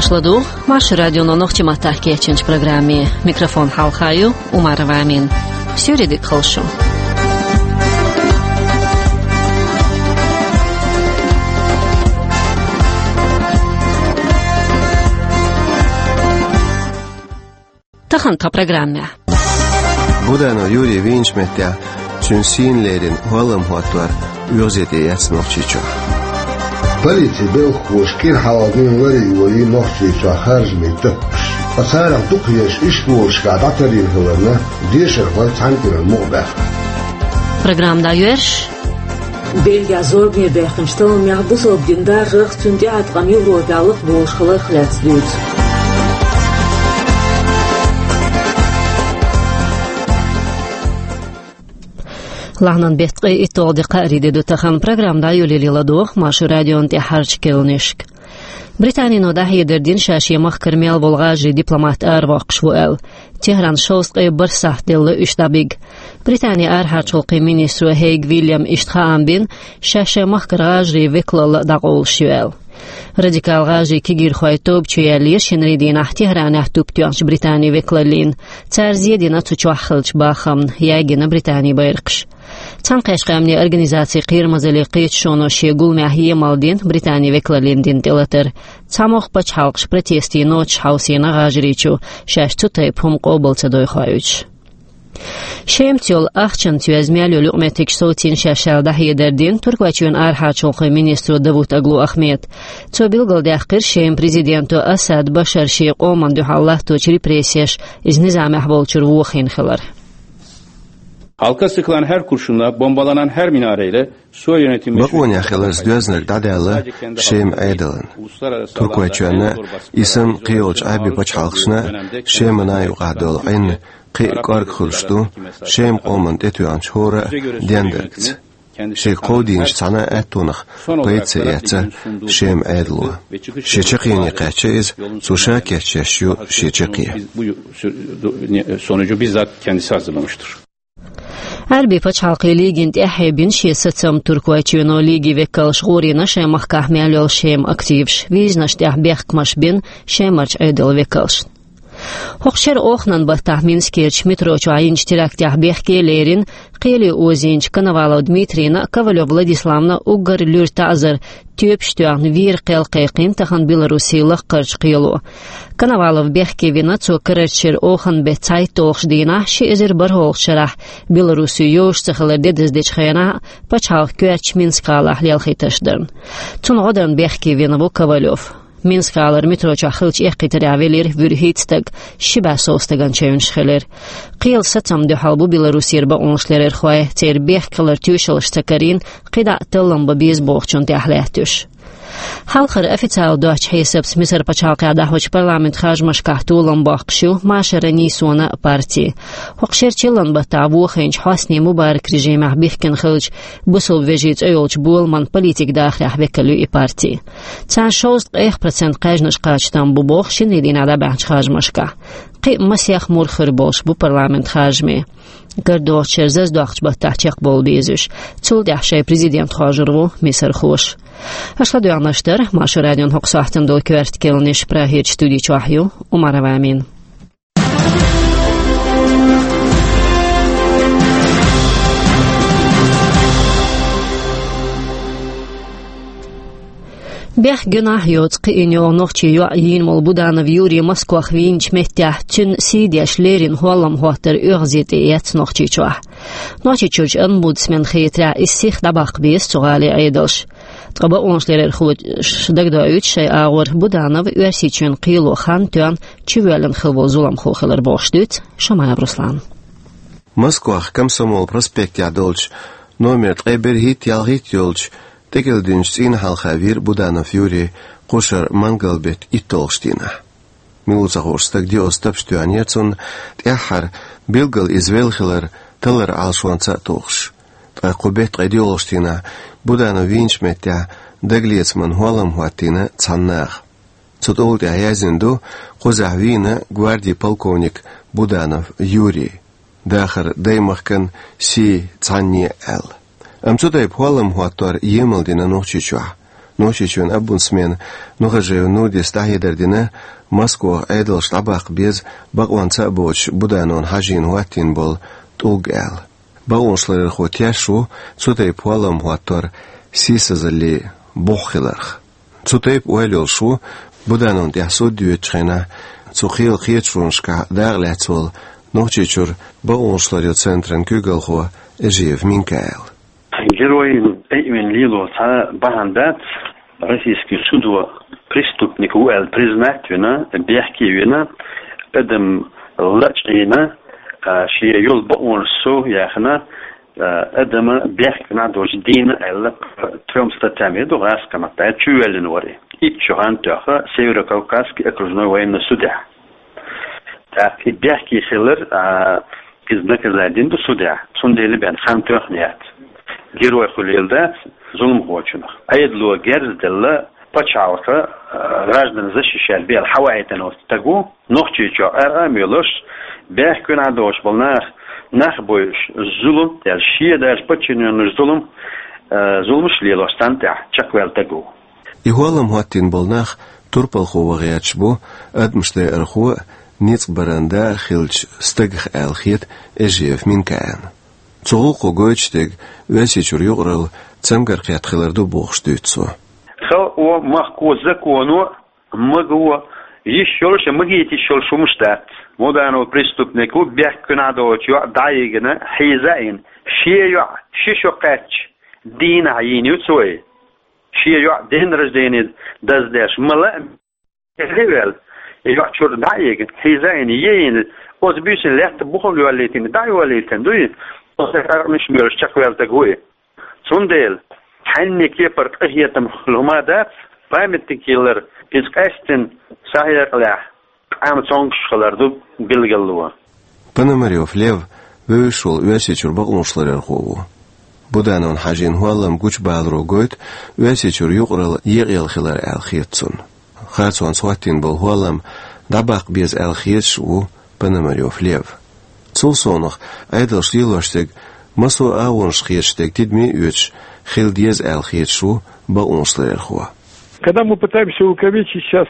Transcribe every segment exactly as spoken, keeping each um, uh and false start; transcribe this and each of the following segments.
Ладу, Маршо радионо нохчийн маттахь кечйинчу программе. Микрофон хьалха ю Умарова Амина. Суьйре дика хуьлда шун. Тахана тхан программехь. Буданов Юрий вийначу меттехь цуьнан сийна лерина хӀоллам хӀоттор оьгӀазе тӀеэцна Нохчийчохь. Полицин белхахоша кӀира хьалха дуьйна лар а йолий Нохчийчохь харжамийн таппаш. Ткъа царах дукхаерш иштта болушкахь дӀатарйина хиларна, дешархой цхьаьна кӀиранна мукъабаьхна. Программа дӀайоьрзуш. Бельгехь зорбане даьккхинчу талламехь бусалба дин даржарх, цуьнан тӀеӀаткъам Европехь лакхаболуш хиларх лаьцна дуьйцу. Лахьанан беттан ткъе итталгӀа де, кхаарин де ду тахана. Программа дӀайолале ладогӀа Маршо радион тӀаьххьарчу керланашка. Британино дӀахьедар дина, ша шен махкара мел волу гӀажарийн дипломат аравоккхуш ву аьлла. Техрана шовзткъе бархӀ сахьт делла уьш дӀабига. Британин арахьарчу гӀуллакхийн министро Хейг Вильяма иштта хаам бина, ша шайн махкара гӀажарийн векалалла дӀакъовлуш ю аьлла. Радикал гӀажарийн кегийрхойн тоба чу яьллера шинарийн дийнахь Техранехь туп тоьхначу Британин векалаллина. Цара зен дина цу чохь хиллачу бахамна, ягийна Британин байракхаш. Цхьаьнакхеттачу Къаьмнийн Организацин Кхерамазаллин кхеташоно шен гуламехь емал дина Британин векалаллина дина тӀелатар. ЦхьамогӀа пачхьалкхаш протестийн ноцаш хьовсийна гӀажарийн чу, шаьш цу тайпа хӀума къобал ца дойхуьйтуш. Шемаца йолу ахчанца йоьзна мел йолу юкъаметтигаш совцийна шаьш аьлла дӀахьедар дина Туркойчоьнан арахьарчу гӀуллакхийн министро Давутоглу Ахмеда. Цо билгалдаьккхира Шеман президенто Асад Башара шен къоманна дуьхьал латточу репрессеша иза низамехь волчуьра вохийна хилар. Halka sıkılan her kurşunla, bombalanan her minareyle Suriye yönetimi... Бакъонехь хиларца доьзнарг дӀадаьлла Шеман Ӏедална. Туркойчоьнна а, и санна кхийолчу Ӏаьрбийн пачхьалкхашна а Шемана юкъахь долу Ӏин кхин а кӀорга хуьлуш ду Шеман къоманна тӀетоьхначу хӀора а дендаргца. Шега кховдийначу цхьана а аьттонах пайда ца эцна Шеман Ӏедало. Шен чаккхене кхаьчна иза, цо ша кечъеш ю шен чаккхе. Sonucu bizzat kendisi hazırlamıştır. Ӏаьрбийн пачхьалкхийн лигина тӀаьхье бина шен сацам Туркойчоьно. Лигин векалша гӀурийна шайн махкахь мел йолу Шеман активаш, визанаш тӀехь бехкамаш бина Шемарчу Ӏедалан векалшна. ХӀокху шеран оханан баттахь Минскерчу метро чохь йинчу терактехь бехке лерина кхеле озийначу Коновалов Дмитрийна а, Ковалев Владиславна а уггар луьра таӀзар тоьпаш тоьхна вийра кхел кхайкхийна тахана Белоруссин лакхарчу кхело. Коновалов бехке вина цо карарчу шеран оханан беттан цхьайтталгӀачу дийнахь, ши эзар бархӀалгӀачу шарахь Белоруссо йозуш ца хилар де деза дечу хенахь а, пачхьалкхан коьртачу Минск-гӀалахь лелхийташ дарна. Цунна гӀо дарна бехке вина ву Ковалев. Минск-гӀалара метро чохь хиллачу эккхийтарехь велира вуьрхӀитта стаг, ши бӀе сов стагана чевнаш хилира. Кхелан сацамна дуьхьал бу Белоруссера бакъонашларъярхой, церан бехк хиларан тоьшаллаш ца карийна, кхидӀа а таллам бан беза бохучунна тӀехь лаьтташ. Хьалхара официалан доцчу хьесапца Мисар пачхьалкхехь дӀахьочу парламентан харжамашкахь толам боккхуш ю Машара Нийсона а парти. ХӀокху шеран чиллан баттахь вохийначу Хьосни Мубарак режимехь бихкина хиллачу бусалба вежарий цӀе йолчу боламан политикан дахарехь векал ю и парти. Царна шовзткъе итт процент кхаьжнаш кхача там бу боху шинарин дийнахь дӀабаьхьначу харжамашкахь. Кхин а масех мур хир болуш бу парламентан харжамийн. КарадогӀучу шеран зазадоккхучу баттахь чекхбовла беза уьш. Цул тӀаьхьа шайн президент хоржур ву мисархоша. Аша ладоьгӀнарш дара Маршо радион хӀокху сохьтана долу коьрта керланаш. Прагерчу студи чохь ю Умарова Амина. Бехк, гуьнахь йоцу кхиийна йолу нохчийн йоӀ йийна волу Буданов Юрий Москох вийначу меттехь цуьнан сий деш леррина хӀоллам хӀоттар оьгӀазе тӀеэцна Нохчийчохь. Нохчийчуьрчу омбудсменна хетарехь, иза сиха дӀабаккха беза цу гӀалин Ӏедалша. Ткъа бакъонашларъярхоша дагадоуьйту шайн агӀор, Буданов Оьрсийчоьнан кхело хан тоьхна чувоьллина хилла волу зуламхо хилар бохуш дуьйцу Шамаев Руслана. Москох Комсомол проспектехь долчу номер ткъе берхӀитта, ялхитта йолчу тӀекӀел динчу цӀийнан хьалха вийра Буданов Юрий кхушара мангал-беттан итталгӀачу дийнахь. Мила ву ца хууш стаг диъолгӀа тапча тоьхнера цунна, тӀаьххьара билггал иза велла хилар талларан Ӏалашонца а тухуш. Ткъа кху беттан ткъе диъолгӀачу дийнахь Буданов вийначу меттехь дагалецаман хӀоллам хӀоттийна цхьана наха. Цу тӀулга тӀехь яздина ду, кхузахь вийна гвардин полковник Буданов Юрий. Дахар даймахкан сий цхьанне аьлла. Амма цу тайпа хӀоллам хӀоттор емал дина Нохчийчохь. Нохчийчоьнан омбудсмена Нухажиев Нурдис дӀахьедар дина, Москвахь Ӏедалша дӀабаккха беза бакъонца а боцуш Будановн Хьажина хӀоттийна болу тӀулг аьлла. Бакъонашларъярхо тешаш ву цу тайпа хӀоллам хӀоттор сийсазаллин бух хиларх. Цу тайпа ойла йолуш ву, Будановна тӀехь суд йоьдучу хенахь цу кхелан кхеташонашкахь дакъалаьцна волу Нохчийчуьра бакъонашларъяран центран куьйгалхо Эжиев Минкаил. Геройна тӀеийна лело цхьа бахьана дац, российский судо преступник ву аьлла признать вина, бехке вина, адам лачкъийна, а, шен йолу бакъонаш сов яьхна, а, адама бехке нах доцуш дийна аьлла, трём статьям ду гӀазкхийн маттахь чувоьллина вара. Итт шо хан тоьхна Северо-Кавказский окружной военный судехь. ТӀаккха и бехке хилар, а, иза наказать дина ду судехь, цундела бен хан тоьхна яц. Герой хуьлийла дац зуламхочунах. Ӏедало герз а делла, пачхьалкха, а, граждан защищать бела хьаваийтина волу стаг ву, Нохчийчохь ара а мелош, бехке нах доцуш болу нах, нах бойуш, зулам, я шен даже подчинённаш зулам, а, зуламаш лелош царна тӀехь чекхваьлла стаг ву. И хӀоллам хӀоттийна болу нах турпалхо ван гӀерташ бу, адамаш декъархо а, ницкъ баран да а хилча стагах аьлла хета Эжиев Минкаилна. Цу гӀуллакхо гойтуш дерг Оьрсийчуьра юкъаралла цамгар кхетта хилар ду бохуш дуьйцу цо. Халкъо, махко, законо, маго, йиш йолуш а, магийта йиш йолуш хӀумаш дац. Буданов преступник ву, бехке нах доцуш йоӀ дӀа а йигина, хьийза а йина, шен йоӀ ши шо кхаьчча, дийнахь йийна ю цо и. Шен йоӀ день рождения даздеш, ма лаьа, хьийза а ваьлла, и йоӀ чуьра дӀа а йигина, хьийза а йина, е а йина, оцу буьйсанна лаьтта бухал йоллийтина, дӀа а йоллийтина дуй, оцу къаркъанаш а мелош чекхваьлла стаг ву и. Цундела, цхьанне кепара къахетам хуьлу хӀума дац, памятник йиллар, иза къаьстина схьахьекъалехь, къам цомгуш хилар ду билгало. Пономарёв Лев вевзаш волу Оьрсийчуьра бакъонашларъярхо ву. Будановн Хьажин хӀоллам гучубаларо гойту Оьрсийчуьра юкъаралла екъаелла хилар аьлла хета цунна. Харцонца хӀоттийна болу хӀоллам дӀабаккха беза аьлла хеташ а ву Пономарёв Лев. Цул совнаха, Ӏедалша лелош дерг массо а агӀонаш хеташ дерг тидаме а оьцуш хила деза аьлла хеташ ву бакъонашларъярхо. Когда мы пытаемся увековечить сейчас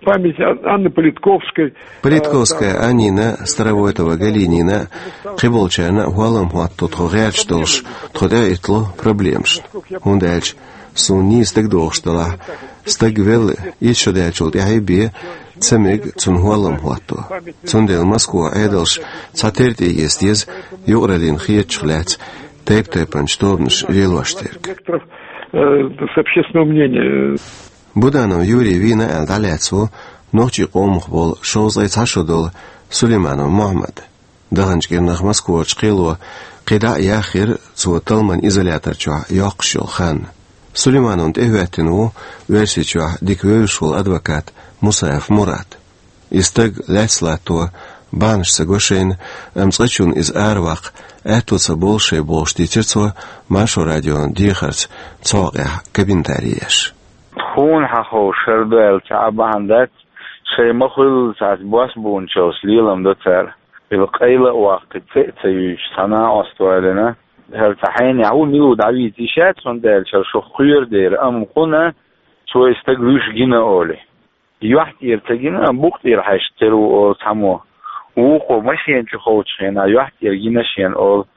память Ан-, Анны Политковской, Политковская Аннина, Старовойтова Галинина, кхиболчарна а хӀоллам хӀотто тхо гӀерташ долуш, тхо тӀе а иттало проблемашна. ХӀунда аьлча суна нийса дагадогӀуш делахь, стаг велла итт шо даьллачул тӀаьхьа бен ца мега цунна хӀоллам хӀотто. Цундела Москвахь Ӏедалша цхьатерра тӀеэца деза юкъараллина хетачух лаьцна тайп-тайпанчу тобанаша лелош дерг. Векторов, э, с общественного мнения. Буданов Юрий вийна аьлла дӀалаьцна ву нохчийн къомах болу шовзткъе цхьа шо долу Сулейманов Мохьмад. Даханчу кӀирнах Москварчу кхело кхин дӀа а яьхира цо талламан изолятор чохь йоккхуш йолу хан. Сулеймановна тӀехӀоьттина ву Оьрсийчохь дика вевзаш волу адвокат Мусаев Мурад. И стаг лаьцна латто бахьанаш ца го шайна, амма цкъачунна иза араваккха аьтто ца болу шайн бохуш дийцира цо Маршо радион дехарца цу хьокъехь комментари еш. Тхуна хьаховшар ду аьлла цхьа а бахьана дац, шайн ма-хуьллу цхьацца бос бууначарца лелам до цара. Хила къайла а ваккхий, цӀе а ца юьйцуш, цхьа накъост валина. ХӀара цхьа хьенех ву, мила ву дӀавийца йиш яц, хӀунда аьлча хӀара шух кхоьру дера, амма кхунна цо и стаг вуьйш гина олий. Юьхь тӀера ца гина, амма букъа тӀера хьаьжча тера ву олу цхьаммо. Вукхо машена чу ховчу хенахь юьхь тӀера гина шена олу.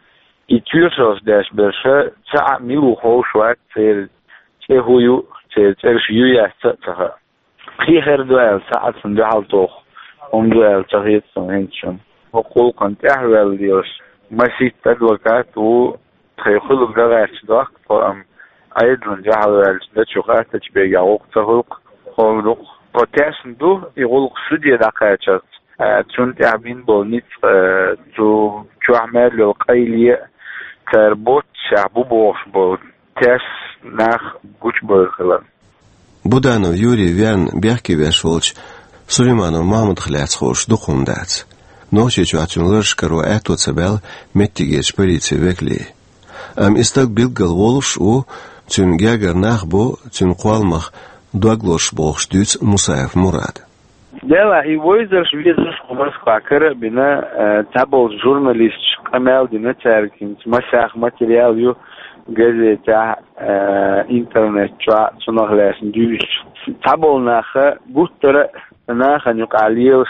И тоьшаллаш деш берш цхьа а мила ву ховш вац, церан цӀе хӀун ю, церан цӀераш ю яц а ца хаьа. Кхин хир ду аьлла, цхьа а цунна дуьхьал туху хӀума ду аьлла ца хета суна хӀинца шуна. ХӀокху гӀуллакхна тӀаьхьаваьлла лелаш масийтта адвокат ву, тхайн хуьлург дан гӀерташ дохку тхо, амма Ӏедална дуьхьал ваьлча, дачу хаттачу бегехь гӀуллакх ца хуьлу-кх, хӀора ду-кх. Тхо тешна ду и гӀуллакх суде дӀакхачарца, а, цунна тӀехь бина болу ницкъ, а, цу чохь мел йолу къайле а, цара боццушехь бу бохуш болу тешна нах гучубевр хилар. Буданов Юрий верна бехке веш волчу Сулейманов Мохьмадах лаьцна хууш дукха хӀума дац. Нохчийчохь цуьнан лараш каро аьтто ца баьлла меттигерчу полицин векалийн. Амма и стаг билггал волуш а ву, цуьнан гергара нах бу цуьнан кхолламах дог лозуш бохуш дуьйцу Мусаев Мурада. Делахь и вовзарш, везарш кху Москвахь кара а бина, э, цхьаболчу журналисташа къамел дина цаьрга, хӀинца масех материал ю, газетехь, э, интернет чохь, цунах лаьцна дуьйцуш. Цхьаболу наха гуттара а нахана юкъахь лелаш,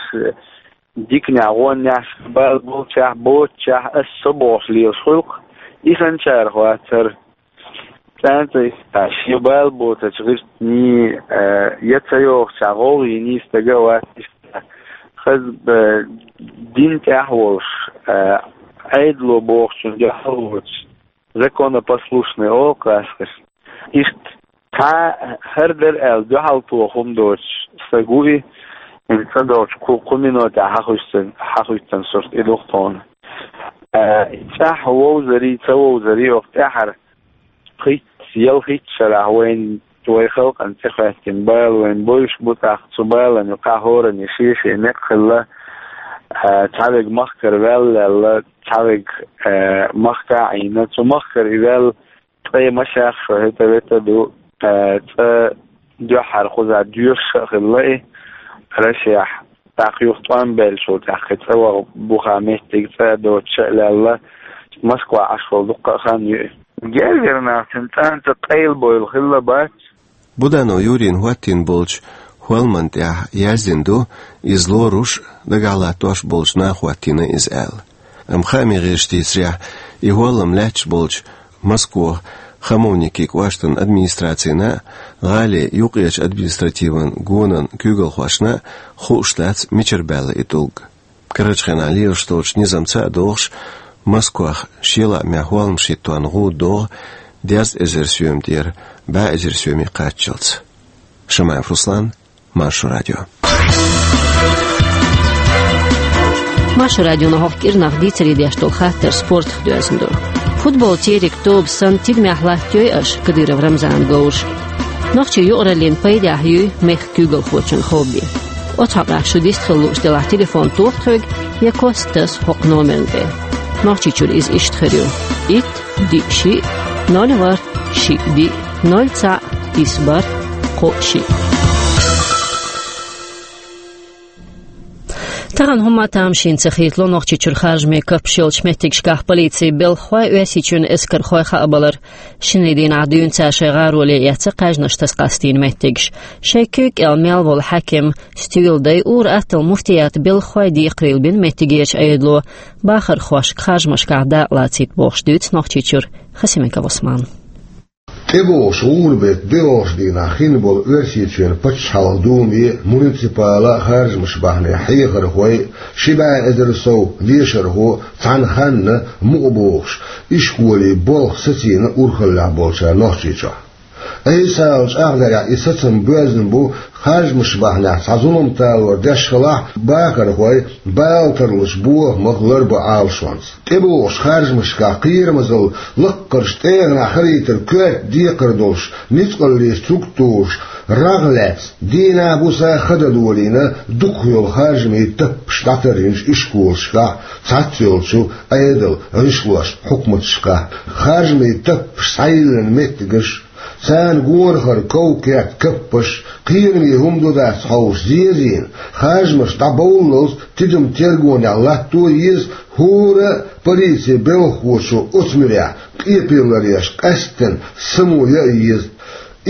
диканехь, гӀонехь, шайн бала болчохь, боцучохь, ас со бохуш лелаш хуьлу-кх, и санначарах вац хӀара. ЦӀанца шен бала боцучу гӀиртийн, э, я ца йогӀучохь гӀовгӀа йиний стага а вац иштта. Хаза, э, дин тӀехь а волуш, э, Ӏедало бохучунна дуьхьал воцуш, законопослушный олу-кх ас-кх. Иштта цхьа хӀара дара аьлла дуьхьал тоха хӀума доцуш стаг ву и, хӀинца ца долчу кху-, кху минотехь хьахуьйцуш, хьахуьйцуш сурт и ду-кх тхуна. Э, и цӀахь вовзарий, ца вовзарий, оха тӀаьхьара пхийтта, ялхитта шарахь вайн, вайн халкъана тӀехӀоьттина бала вайна бевзаш бу, тӀаккха цу балана юкъахь хӀоранна шен-шен некъ хилла, а, цхьаверг махкара ваьлла, цхьаверг, а, махкахь а Ӏийна, цу махкара и ваьлла, ткъе машех шо хӀета-вета ду, а, цкъа дуьххьара кхузахь доьшуш а хилла и Рашехь. ТӀаккха юха тӀом баьллачул тӀаьхьа кхин цкъа ваха буха меттиг цкъа а доцуш а лаьлла, Москва Ӏаш волу дуккха а хан ю и. Гергара нах цуьнан цӀанца къайлабевлла хилла бац. Буданов Юрийна хӀоттийна болчу хӀолламан тӀехь яздина ду, иза лоруш а, дагахь латтош а болчу наха хӀоттийна иза аьлла. Амма хаамийн гӀирсаша дийцарехь, и хӀоллам лаьтташ болчу Москвахь Хамовники кӀоштан администрацина а, гӀалин юккъерчу административан гонан куьйгалхошна а хууш дац, мичара баьлла и тӀулг. Карарчу хенахь лелаш долчу низамца а догӀуш, Москвахь шен лаамехь хӀолламаш хӀиттон гӀуда догӀу дезткъа эзар соьма тӀера бӀе эзар соьме кхаччалц. Шамаев Руслан, Маршо радио. Маршо радионо хӀокху кӀирнах дийцаре деш долу хаттар спортах доьзна ду. Футбол терриг тоба санна тидамехь латтайой аша, Кадыров Рамзанан говраш? Нохчийн юкъараллин пайдехь юй мехкан куьйгалхочун хобби? Оцу хьокъехь шу дистхила лууш делахь, телефон тоха тхоьга я кост таса хӀокху номерна тӀе. Нохчийчуьра иза иштта хир ю: итт, диъ, шиъ, ноль, ворхӀ, шиъ, диъ, ноль, цхьаъ, исс, бархӀ, кхоъ, шиъ. Тахана хӀумма а тамашийна ца хийтало Нохчийчуьра харжамийн каппаш йолчу меттигашкахь полицин белхахой, Оьрсийчоьнан эскархой хаабалар. Шинарин дийнахь дуьйна цара шайн гӀароле эцна кхаьжнаш таса къастийна меттигаш. Шайн куьйга кӀел мел волу хьаькам, стуьйладай, ур-атталла муфтиятан белхахой декхарийлабина меттигерчу Ӏедало, бахархошка харжамашкахь дакъа лацийта бохуш дуьйцу Нохчийчуьра Хасимиков Ӏусмана. ТӀебогӀуш гӀуран-беттан доьалгӀачу дийнахь хин болу Оьрсийчоьнан пачхьалкхан Думе а, муниципалан а харжамаш бахьанехь хьехархой а, ши бӀе эзар сов дешархо а цхьана ханна мукъа бохуш, ишколе болх сацийна урхаллехь болчара Нохчийчохь. Айса ала чӀагӀдарехь, и сацам боьзна бу, харжамаш бахьанехь цхьа зулам талор деш хилахь, бахархой бала тарлуш бохамах ларбо Ӏалашонца. ТӀебогӀучу харжамашкахь кхерамазалла лаккхарчу тӀегӀанехь хилийтар коьрта декхар долуш, ницкъаллица цуьнга тухуш, рагӀ лаьцна, дийнахь-буса ха дан долийна дукхах йолу харжамийн таппаш дӀатаржинчу ишколашкахь, цхьацца йолчу Ӏедалан гӀишлошна, хьукматашкахь. Харжамийн таппаш схьайиллина меттигаш, царна гонахара ков-керт, каппаш, кхераме хӀума ду-дац хьовсуш зезийна, харжамаш дӀабовллалц тидам-тергонехь латто еза, хӀора а полицин белхахочо оцу муьрехь къепе ларъеш къаьсттина само яа еза.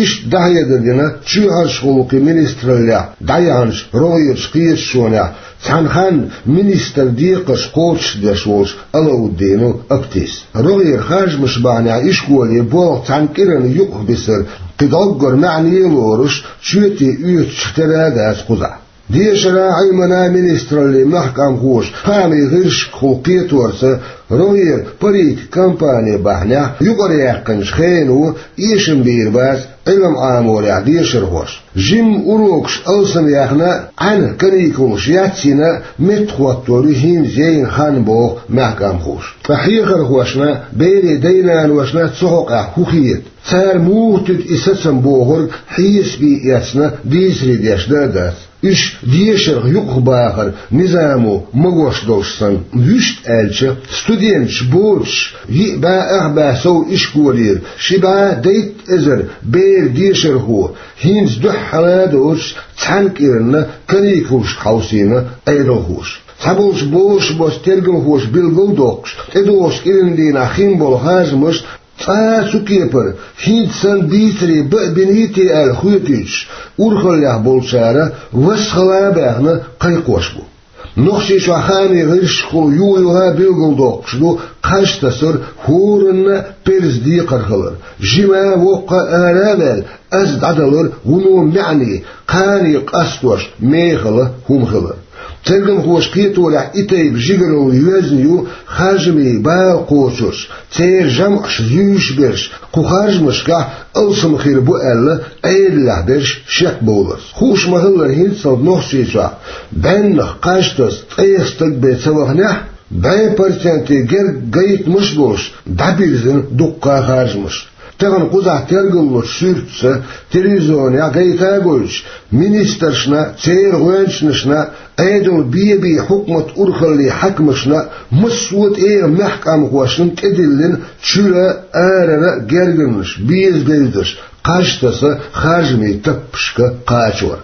Иштта дӀахьедар дина чоьхьарчу гӀуллакхийн министраллехь дӀаяьхьначу рогӀерчу кхеташонехь, цхьана ханна министран декхарш кхочушдеш волчу Алауддинов Аптис. РогӀера харжамаш бахьанехь ишколе болх цхьана кӀиранна юкъахбисар кхин дӀоггара маьӀне а лоруш, чоьте оьцучух тера а дац кхузахь. Дешаран, Ӏилманан министраллин мехкамхоша, хаамийн гӀирсашкахула кхеторца, рогӀера паргӀатан кампани бахьанехь юкъараяьккхинчу хено эшам бийр бац Ӏилма Ӏаморехь дешархошна. Жимма урокаш алсамъяьхна а, Ӏаьнан каникулаш яц йина а, меттахӀоттор ю хӀинца яйна хан, боху мехкамхоша. Ткъа хьехархошна, берийн дай-наношна цу хьокъехь хӀун хета? Цара муха туьду и сацам бохург хьесапе эцна дийцаре деш дан а дац. Уьш дешарх юкъахбахаран низамо магош долуш санна. Вуьшта аьлча, студенташ боцуш, йиъ бӀе ах бӀе сов ишколера ши бӀе дейтта эзар бер дешархо хӀинца дуьххьара а доцуш цхьана кӀиранна каникулашка хьовсийна Ӏедалхоша. Цхьаболчу бозуш боцу тергалхоша билгалдоккхуш, тӀедогӀучу кӀиран дийнахь хин болу харжамаш Ткъа цу кепара хӀинца санна бийцаре баа биний те аьлла хоьтуьйтуш, урхаллехь болчара вассхала а баьхна кхайкхош бу. Нохчийчохь хаамийн гӀирсашкахула юха-юха а билгалдоккхуш ду кхаж тасар хӀоранна а перза декхар хилар. Жима а, воккха а ара а ваьлла, аз дӀадалар вуно маьӀне, кхане къастош мехала хӀума хилар. Тергамхоша кхеторехь, и тайпа жигаралла йоьзна ю харжамийн бала кхочурш, церан жамӀаш зуьйш берш, кху харжамашкахь алсам хир бу аьлла, Ӏедалехь берш шекбовларца. Хууш ма-хиллара, хӀинццалц Нохчийчохь бӀеннах кхаж таса ткъех стаг бен ца ваханехь, бӀе проценте гергга гайтамаш а болуш, дӀабирзина дуккха а харжамаш. Тахана кхузахь тергаллучу суьртаца, телевизионехь гайта а гойтуш, министрашна, церан гӀоьнчанашна, Ӏедал бен-бен хьукмат урхаллин хьаькамашна, массо а тӀера мехкан къамахошна тӀедиллина чуьра а, арара а гергарнаш, беза-бездарш, кхаж таса харжамийн таппашка кхачор.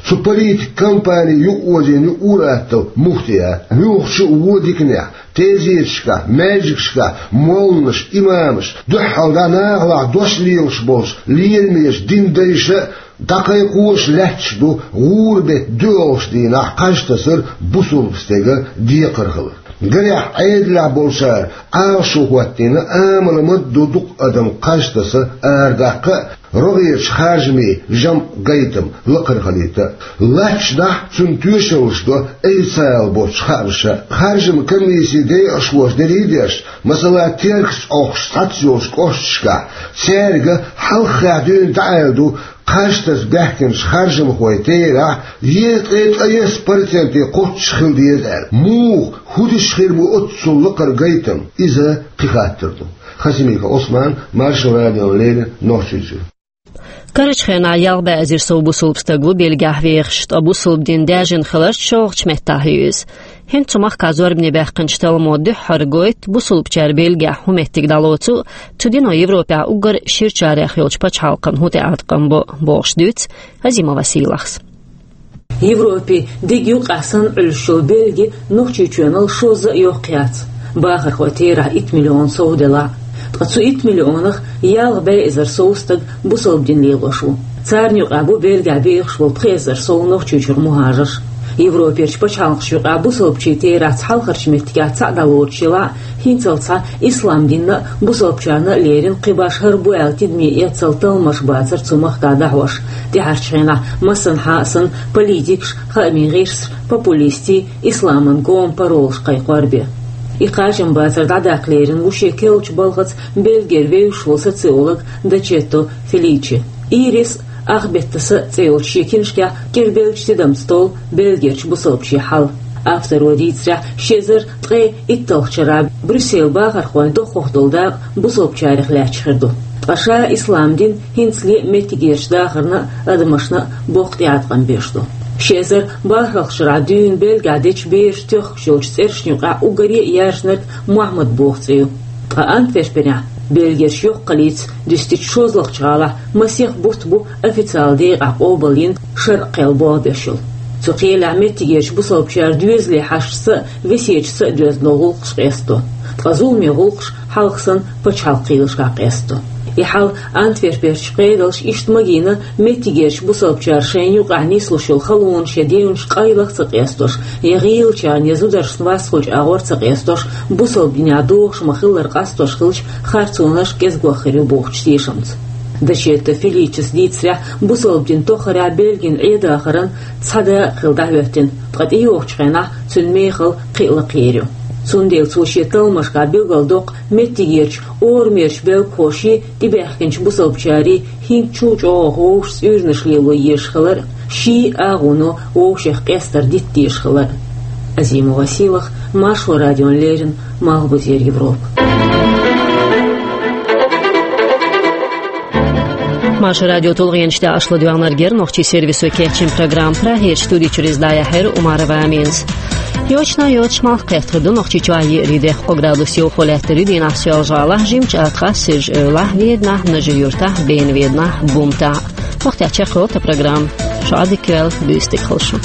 Цу политикан кампанин юкъаозийна ю ур-атталла муфтият. Муьлххачу а вон диканехь, тезеташкахь, маьждигашкахь молланаш, имамаш, дуьххьалдӀа нахалахь дош лелаш болчу леламечу динан дайша а дӀакхайкхош лаьтташ ду гӀуран беттан доьалгӀачу дийнахь кхаж тасар бусалба стеган декхар хилар. Гарехь, Ӏедалехь болчара Ӏалашо хӀоттийна, амал ма ду дукха адам кхаж таса арадаккха а, рогӀерчу харжамийн жамӀ, гайтам лакхара хилийта а. Латташ дахь, цунна тоьшаллаш до официалан боцчу хаамаша. Харжамийн комиссин декъашхоша дерриг а деш, масала, Теркаца Ӏохкуш цхьацца йолчу кӀошташкахь, цаьрга хьалххе дуьйна дӀааьлла ду кхаж таса баьхкинчу харжамхойн терахь езткъе ткъайесна проценте кхоччуш хила деза аьлла. Муха, хӀун дича хир бу оццул лакхара гайтам? Иза кхин хаттар ду. Хасимиков Ӏусман, Маршо радиона леррина, Нохчийчуьра. Карарчу хенахь ялх бӀе эзар сов бусалба стаг ву Бельгехь вехаш, ткъа бусалба дин даьржина хиларца шолгӀачу меттехь ю иза. ХӀинца цу махкахь зорбане баьккхинчу талламо дуьххьара гойту, бусалбачара Бельгехь хӀун меттиг дӀалоцу а, цу дино Европехь уггар ширачарех йолчу пачхьалкхана хӀун тӀеӀаткъам бо, бохуш дуьйцу Азимова Сийлахьас. Европе диг юккъехь санна Ӏуьллуш йолу Бельги Нохчийчоьнал шозза а йоккха яц, бахархойн терахь итт миллион сов делахь а. Ткъа цу итт миллионах ялх бӀе эзар сов стаг бусалба дин лелош ву. Царна юкъахь бу Бельгехь вехаш волу пхи эзар сов Нохчийчуьра мухӀажарш. Европерчу пачхьалкхашна юкъахь бусалбачийн терахь цхьалхарчу меттигех цхьаъ дӀалоцуш елахь а, хӀинццалц схьа ислам динна а, бусалбачарна а лерина кхин башха хӀара бу аьлла тидаме эццал талламаш бацара цу махкахь дӀахьош. ТӀаьхьарчу хенахь массанхьа а санна политикаш, хаамийн гӀирсаш, популистийн, исламан гома паролаш кхайкхор бен. И кхачамбацар дӀадаккха лерина ву шен керлачу балхаца Бельгера вевзаш волу социолог Дачетто Феличе. «Ирис а, Ахбеттаса а» цӀе йолчу шен кинашкахь кӀира беллачу тидамца толлу Бельгерчу бусалбачийн хьал. Авторо дийцарехь, ши эзар ткъе итталгӀачу шарахь Брюсселан бахархойн доххух долу дакъа бусалбачарех лаьтташ хир ду. Ткъа ша ислам дин хӀинцале а меттигерчу дахарна а, адамашна а боккха тӀеӀаткъам беш ду. Ши эзар бархӀалгӀачу шарахь дуьйна Бельгехь дечу бераш тоьхкуш йолчу цӀерашна юкъахь уггаре а яьржинарг Мухьаммад боху цӀе ю. Ткъа Антверпенехь, Бельгерчу йоккхаллица дуьстичу шозлагӀчу гӀалахь, масех бутт бу официалан декъахь къобалйина шарӀан кхел болх беш йолу. Цу кхелехь меттигерчу бусалбачара доьзалийн хьашташца а, весеташца а доьзна долу гӀуллакхаш къестадо. Ткъа зуламе гӀуллакхаш хьалха санна пачхьалкхан кхелашкахь къестадо. И хьал Антверперчу кхедолуш иштта магийна, меттигерчу бусалбачара шайна юкъахь нислуш йолу халонаш я девнаш къайлаха ца къестош, я гӀийлачарна, я зударшна васкхуьлчу агӀор ца къестош, бусалба динехь догӀуш ма-хиллара къастош хилча, харцонаш кӀезиг хир ю бохучу тешамца. Дачетто Феличес дийцарехь, бусалба дин тоххарехь Бельгин Ӏедахаран цхьа да а хилла дӀахӀоьттина, ткъа тӀейогӀучу хенахь цуьнан мехалла кхин а лакхера ю. Цундела цо шен талламашкахь билгалдоккху меттигерчу орамерчу белгахоший, тӀебаьхкинчу бусалбачарий хӀинца чул чӀогӀа вовшашца уьйраш лело езаш хилар а, ший агӀоно вовшех къестар дита дезаш хилар а. Азимова Сийлахь, Маршо радиона леррина, Малхбузера Европа. Маршо радион тулгӀенаш тӀехь аша ладоьгӀнарг яра нохчийн сервисо кечйина программа. Прагерчу студи чуьра иза дӀаяьхьира Умарова Аминас. Йочана а йоцуш, малх кхетта хир ду Нохчийчохь, еарин дехха кхо градус йовхо лаьттар ю дийнахь Соьлжа-ГӀалахь, Жимачу АтагӀахь, Сиржа-Эвлахь, Веданахь, Нажи-Юьртахь, Бена-Веданахь, Бумтахь. ХӀокху тӀехь чекхйолу тхан программа. Шу Ӏадика йойла, буьйса дика хуьлда шун.